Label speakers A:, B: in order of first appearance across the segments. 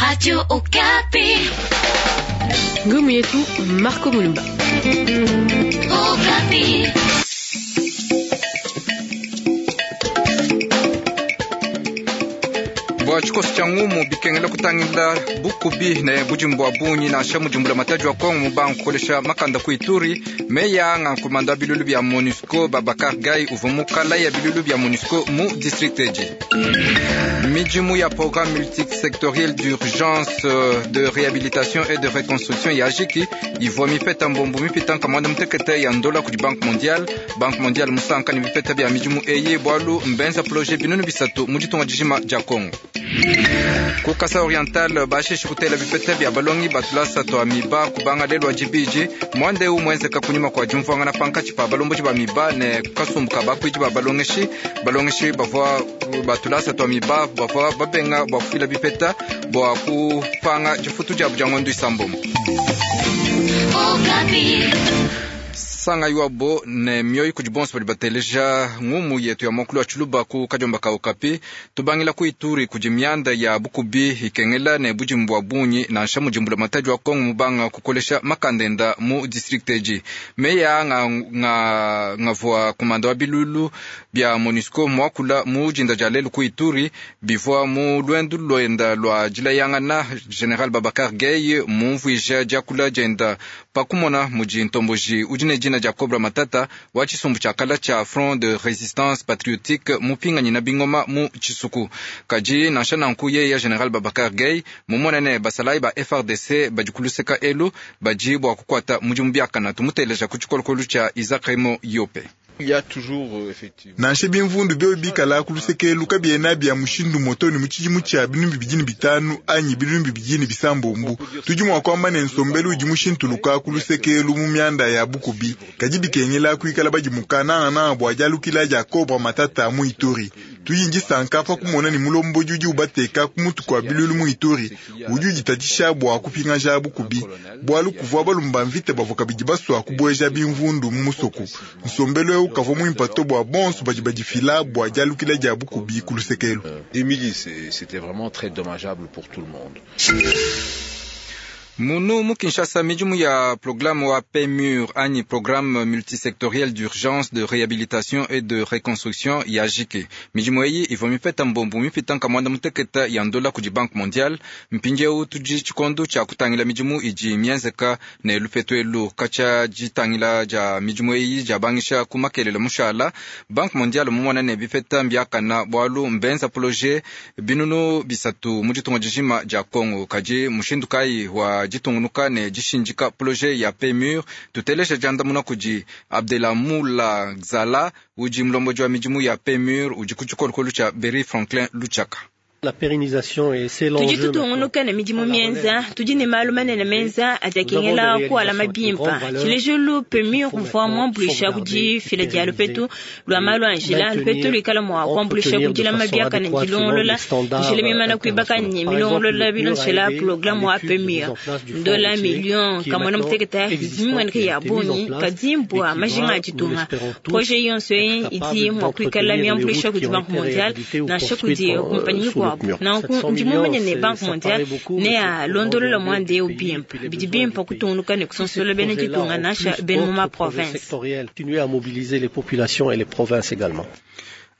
A: Radio Okapi.
B: Ngumu yetu Marco Mulumba.
A: Okapi.
C: Bua tshikoso tshia ngumu bikengela kutangila bukubi ne budimbu bua bungi nansha mudimbula matadi wa Kongo mubanga kukolesha makanda ku Ituri. Meya nga nkomanda wa bilulu bia MONUSCO Babakar Gaye uvua mukala ya bilulu bia MONUSCO mu district edi. Midimu ya programme multisectoriel d'urgence de réhabilitation et de reconstruction ya ajiki ivua mipeta mbombo mipita nkamanda mutekete ya ndola kudi Banque mondiale. Banque mondiale musanka ne bipeta bia midimu eyi bualu mbenza projet binunu bisatu mu ditunga dijima dia Kongo. Ku Kasai Oriental bashishi kutela bipeta bia balongi batulasa twa miba kubanga lelu wa dibidi mwanda eu muenzeka kunyima kua diumvuangana pankatshi pa balomboji ba miba ne kasumbu ka bakuidi ba balongeshi. Balongeshi bavua batulasa twa miba bavua babenga bua kufila bipeta bua kupanga difutu diabu dia ngondo isambombo.
A: Okapi.
C: Sanga yuabo ne mioyo kudi bonso badi bateleja ngumu yetu ya mwakulu wa tshiluba ku kadiomba ka Okapi. Tubangila ku Ituri kudi mianda ya bukubi ikengela ne budimbu bua bungi nansha mudimbula matadi wa Kongo mubanga kukolesha makandenda mu district edi. Meya nga, nga, ngavua kumanda wa bilulu bia MONUSCO muakula mu dinda dia lelu ku Ituri bivua mu luendu luenda lua dilayangana. General Babakar Gaye mumvuija diakula dienda pakumona mudi ntomboji udi ne dina dia Cobra Matata wa tshisumbu tshia kala tshia Front de Resistance Patriotique mupinganyi na bingoma mu tshisuku. Kadi nansha nanku yeya General Babakar Gaye mumone ne basalayi ba FRDC badi kuluseka elu badi bua kukuata mudimu biakana. Tumuteleja ku tshikolokolo tshia Isaac Remo Yope.
D: Nansha bimvundu biobi bikala ku luseke kabiena bia mushindu moto ne mu tshidimu tshia binunu bibidi ne bitanu anyi binunu bibidi ne bisambombo, tudi mua kuamba ne nsombelu udi mushintuluka ku luseke mu mianda ya bukubi. Kadi bikengela kuikala badimuka nangananga bua dialukila dia Cobra Matata mu Ituri. Tudi ndisanka pa kumona ne mulombodi udi ubateka ku mutu kua bilulu mu Ituri udi uditatshisha bua kupingaja bukubi, bualu kuvua balumba mvita bavua kabidi basua kubueja bimvundu mu musoko. Nsombelu eu kavua muimpe to bua bonso badi badifila bua dialukila dia bukubi ku luseke elu.
E: Des milices, et c'était vraiment très dommageable pour tout le monde.
C: Munu mu Kinshasa midimu ya programme wa PMUR anyi programme multisectoriel d'urgence de réhabilitation et de reconstruction ya jike. Midimu eyi ivua mipeta mbombo mipita nkamwanda muteketa ya ndola kudi Banque mondiale. Mpindieu tudi tshikondo tshia kutangila midimu idi mienzeka ne lupetu elu katshia ditangila dia midimu eyi diabangisha ku makelela mushala. Banque mondiale mumona ne bipeta mbiakana bualu mbenza projet binunu bisatu mu ditunga dijima dia Kongo. Kadi mushindu kayi wa ditungunuka ne dishindika projet ya PMUR? Tuteleja diandamuna kudi Abdelamula Gzala udi mulombodi wa midimu ya PMUR udi ku tshikolokolo tshia Berry Franklin Luchaka.
F: La pérennisation et c'est
G: tudi
F: l'enjeu.
G: tutungunuka ne midimu mienza tudi ne malu manene menza adi akengela kualama bimpa. Tshilejelu PMUR uvua muambuluisha ku difila dia lupetu lua malu a njila. Lupetu luikala mua kuambuluisha ku dilama biakane dilongolola njila mimana kuibaka ne milongolola bilonshela programme wa PMUR. Ndola million kamona muteketa mimueneka ya bungi kadi mbua majinga a ditunga. Projet yonso eyi idi mua kuikala miambuluisha kudi Banque mondiale nansha kudi kumpanyi mikuabu. Nanku ndi mumanye ne Banque mondiale ne alondolola muanda eu bimpe. Bidi bimpe kutungunuka ne kusonsola bena ditunga nansha bena mu ma province.
F: Continuer à mobiliser les populations et les provinces également.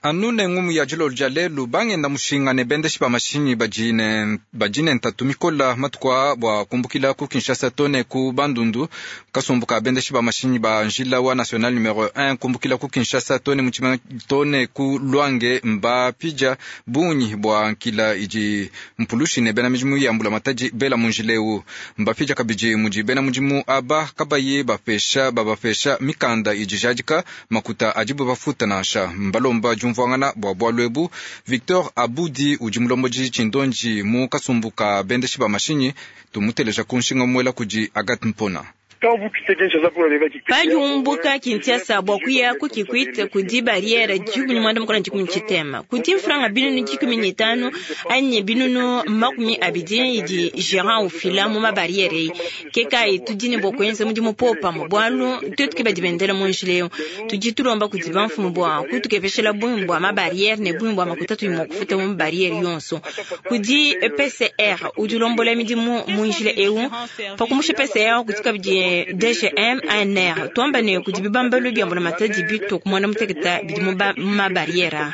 C: Anu ne ngumu ya dilolo dia lelu bangenda mushinga ne bendeshi ba mashinyi badi ne badi ne ntatu mikola matuku aa bua kumbukila ku Kinshasa to ne ku Bandundu. Kasumbu ka bendeshi ba mashinyi ba njila wa national numero 1 kumbukila ku Kinshasa to ne mutshimenga to ne ku Luange mbapija bungi bua nkila idi mpulushi ne bena midimu ya mbulamatadi bela mu njila eu. Mbapija kabidi mudi bena mudimu aba kabayi bapesha babapesha mikanda idi jadika makuta adibu bafuta nansha. Mbalomba diumvuangana bua bualu ebu. Victor Abudi udi mulombodi tshindonji mu kasumbu ka bendeshi ba mashinyi. Tumuteleja ku nshinga muela kudi Agathe Mpona.
G: Padi umbuka Kinshasa bua kuya ku Kikwit kudi barriere 13 na kudi mfranga 15.000 anyi 20.000 idi gérant ufila mu mabarriere eyi. Ke kayi tudi ne bua kuenza mudimu popamue, bualu tuetu ke badi bendela mu njila eu. Tudi tulomba kudi bamfumu bua kutukepeshela bungi bua mabarriere ne bungi bua makuta tudi mua kufuta mu barriere yonso. Kudi PCR udi ulombola midimu mu njila eu. Pa kumusha PCR kudi kabidi DGM ANR, tuamba ne kudi bibambalu bia mbulamatadi bitue ku 16 bidi mu mabarriere.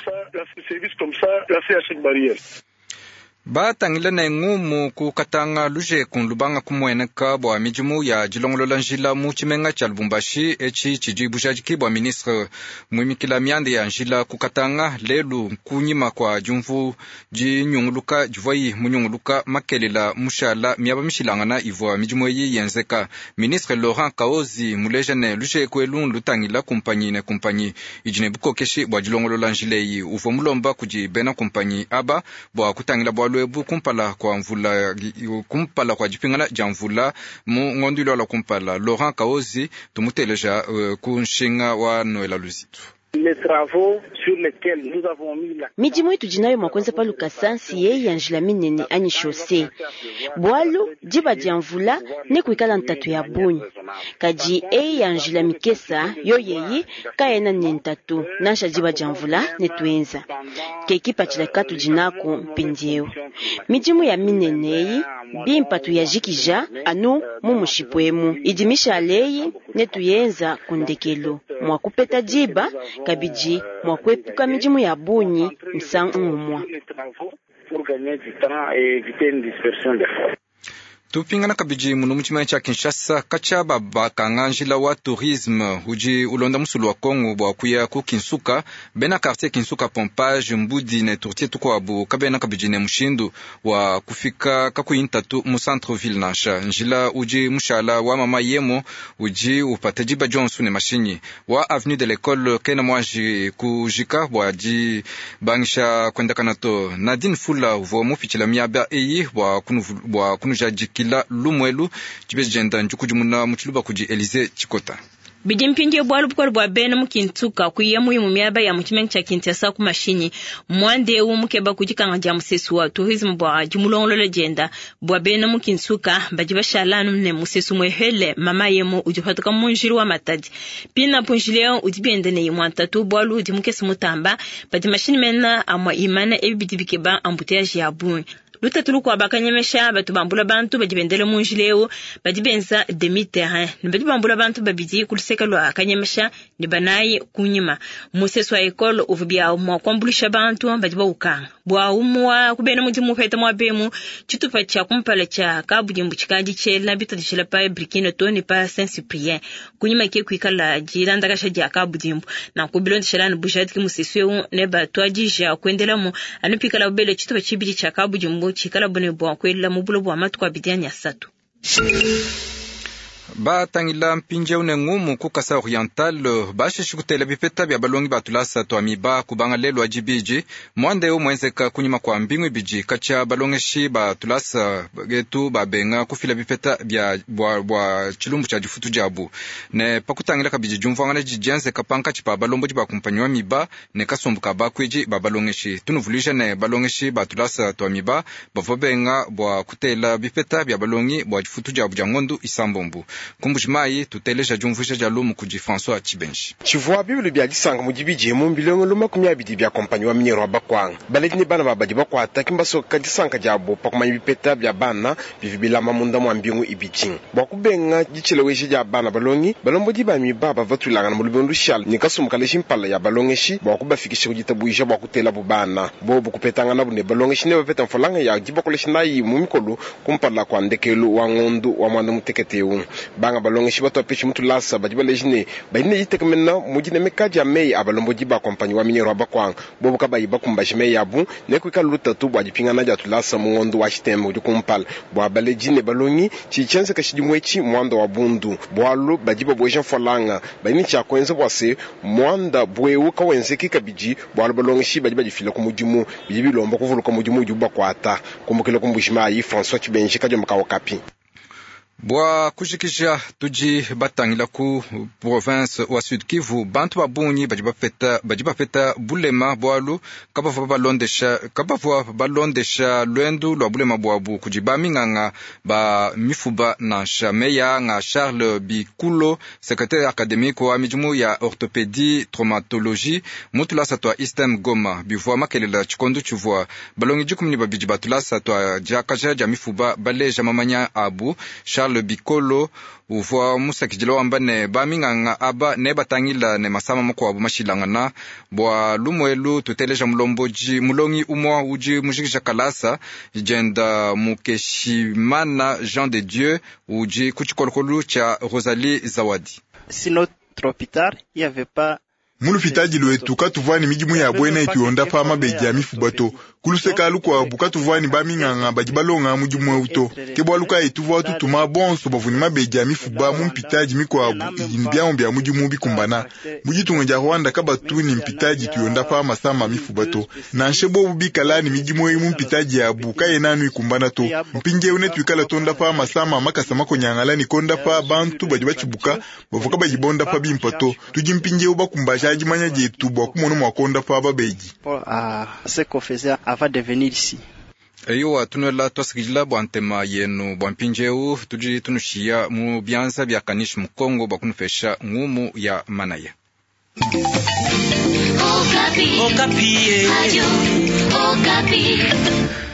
C: Batangila ne ngumu ku Katanga lujeku lubanga kumueneka bua midimu ya dilongolola njila mu tshimenga tshia Lubumbashi. Etshi tshidi bujadiki bua ministre muimikila mianda ya njila ku Katanga lelu kunyima kua diumvu dinyunguluka divuayi munyunguluka makelela mushala miaba mishilangana ivua midimu eyi yenzeka. Ministre Laurent Kaozi muleja ne lujeku elu lutangila kumpanyi ne kumpanyi idi ne bukokeshi bua dilongolola njila eyi. Uvua mulomba kudi bena kumpanyi aba bua kutangila bualu ebu kumpala kwa mvula, kumpala kwa dipingana dia mvula mu ngondo ilualua kumpala. Laurent Kaozi tumuteleja ku nshinga wa Noela Luzitu.
H: Midimu itudi nayo mua kuenza pa lukasa nsi yeyi ya njila minene anyi chaussée, bualu diba dia mvula nekuikala ntatu ya bungi. Kadi eyi ya njila mikesa yo yeyi kayena ne ntatu nansha diba dia mvula netuenza. Ke kipatshila katudi naku mpindieu. Midimu ya minene eyi bimpa tuyajikija anu mu mushipu emu, idi mishale eyi netuyenza ku ndekelu mua kupeta diba kabidi mua kuepuka midimu ya bungi misangu umue.
C: Tupingana kabidi muno mu tshimenga tshia Kinshasa katshia babakanga njila wa tourisme udi ulonda musulu wa Kongo bua kuya ku Kinsuka. Bena quartier Kinsuka, Pompage, Mbudi ne Tourtier tukuabu kabena kabidi ne mushindu wa kufika kakuyi ntatu mu centre ville nansha. Njila udi mushala wa Mama Yemo udi upata diba dionso ne mashinyi wa avenue de l'école kena muanji kujika bua dibangisha kuendakana to. Nadine Fula uvua mupitshila miaba eyi bua kunujadikila lumuelu dibeji dienda ndikudimuna mu tshiluba kudi Elise Tshikota.
G: Bidi mpindieu bualu bukole bua bena mu Kinsuka kuya muyi mu miaba ya mu tshimenga tshia Kinshasa ku mashinyi. Muanda eu mukeba ku dikanga dia musesu wa tourisme bua dimulongolola dienda bua bena mu Kinsuka badi bashala anu ne musesu muehele Mama Yemo udi upatuka mu njila wa Matadi. Pinapu njila eu udi bienda ne imue ntatu, bualu udi mukese mutamba padi mashinyi mena amua imana, ebi bidi bikeba embouteillage ya bungi. Lutatu lukuabu bakanyemesha batu bambula bantu badi bendela mu njila eu badi benza demi terrain ne badi bambula bantu babidi ku luseke lua kanyemesha ne banayi kunyima. Musesu wa ekole uvua bia mua kuambuluisha bantu badi baukanga bua umua kubena mudimu upeta muaba emu. Tshitupa tshia kumpala tshia kabudimbu tshikadi tshiela bitadishila pa Brikino to ne pa Saint Cyprien, kunyima ke kuikala dilandakasha dia kabudimbu. Nanku bilondeshela ne bujadiki musesu eu ne batuadija kuendelamu anu pikala bele tshitupa tshibidi tshia kabudimbu tshikala bune bua kuela mu bulo bua matuku abidi anyi asatu.
C: Batangila mpindieu ne ngumu ku Kasai Oriental, bashishi kutela bipeta bia balongi ba tulasa tua miba kubanga lelu wa dibidi. Muanda eu muenzeka kunyima kua mbingu ibidi katshia balongeshi ba tulasa etu babenga kufila bipeta bia bua tshilumbu tshia difutu diabu ne pakutangila kabidi diumvuangana didi dienzeka pankatshi pa balombodi ba kumpanyi wa miba ne kasumbu ka bakuidi ba balongeshi. Tunuvuluija ne balongeshi ba tulasa tua miba bavua benga bua kutela bipeta bia balongi bua difutu diabu dia ngondu isambombo. Ku Mbujimayi tuteleja diumvuija dia lumu kudi François Tshibenji.
I: Tshivua bibilu bia disanka mu dibidi mu mbilongelo 20 bia kompanyi wa minyero wa Bakwanga. Baledi ne bana babadi bakuata kimbasoka disanka diabo pa kumanya bipeta bia bana bivi bilama munda mua mbingu ibidi. Bua kubenga ditshilowesha dia bana balongi, balombodi ba miba bavua batulangana mu lubingu lushala ne kasumbu kaleji mpala ya balongeshi bua kubafikisha ku ditabuja bua kutelabu bana. Bobu kupetanganabu ne balongeshi ne bapeta mfalanga ya dibakolesha nayi mu mikolo kumpala kua ndekelu wa ngondu wa mwanda mutekete eu. Banga balongeshi batwapeshi mutulasa badi baleji ne badi ne ditekemena mu dinemeka dia meyi a balombodi ba kompanyi wa minyero wa Bakwanga. Bobu kabayi bakumbaje meyi abu ne kuikala lutatu bua dipingana dia tulasa mu ngondu wa Tshitembe udi kumpala. Bua baledi ne balongi tshidi tshienzeka tshidimu etshi muanda wa bundu, bualu badi babueja mfalanga badi ne tshia kuenza bua se muanda buewu kawenzeki kabidi, bualu balongeshi badi badifila ku mudimu bidi bilomba kuvuluka mudimu udibu bakuata. Kumbukila ku Mbujimayi, François Tshibenji, Kadiomba ka Okapi.
C: Bua kujikija tudi batangila ku province wa Sud Kivu, bantu ba bungi badi bapeta bulema bualu kabavua balondesha luendu lua bulema buabu kudi baminganga ba mifuba nansha. Meya nga Charles Bikulo, secrétaire académique wa midimu ya orthopédie traumatologie mu tulasa tua Istem Goma, bivua makelela tshikondo tshivua balongi 12 ba tulasa tua diakaja dia mifuba baleja mamanya abu. Charles Bikolo uvua musakidila wamba ne baminganga aba ne batangila ne masama makuabu mashilangana. Bua lumuelu tuteleja mulomboji mulongi umwa udi mujikija kalasa jenda Mukeshimana Jean de Dieu udi ku tshikolokolo tshia Rosalie Zawadi.
J: Si notre hôpital, il y avait pas
D: Mulupitadi lwetu katuvua ni midimu ya bwena ituyonda pa mabedi ya mifuba to kuluseka lukuabu katuvua ni baminganga badi balonga mudimu eu to ke bualu kayi tuvua tutuma bonso bavua ni mabedi ya mifuba mu mpitadi mikuabu idi ni biamu bia mudimu bikumbana. Mu ditunga dia Rwanda kabatu ni mpitadi tuyonda pa masama mifuba to nansha bobu bikala ni midimu eyi mu mpitadi yabu kayena anu ikumbana to. Mpindieu netuikala tonda pa masama makasa makonyangala ni konda pa bantu badi batshibuka bavua kabayi bonda pa bimpa to. Tudi mpindieu bakumbaja dimanya dietu bua kumona mua konda pa babedi.
C: Eyowa tunuela twasikidila bua ntema yenu bua mpindieu tudi tunushiya mu bianza bia Kanish Mukongo bua kunupesha ngumu ya manaya.
A: Okapi. Okapi. Radio Okapi.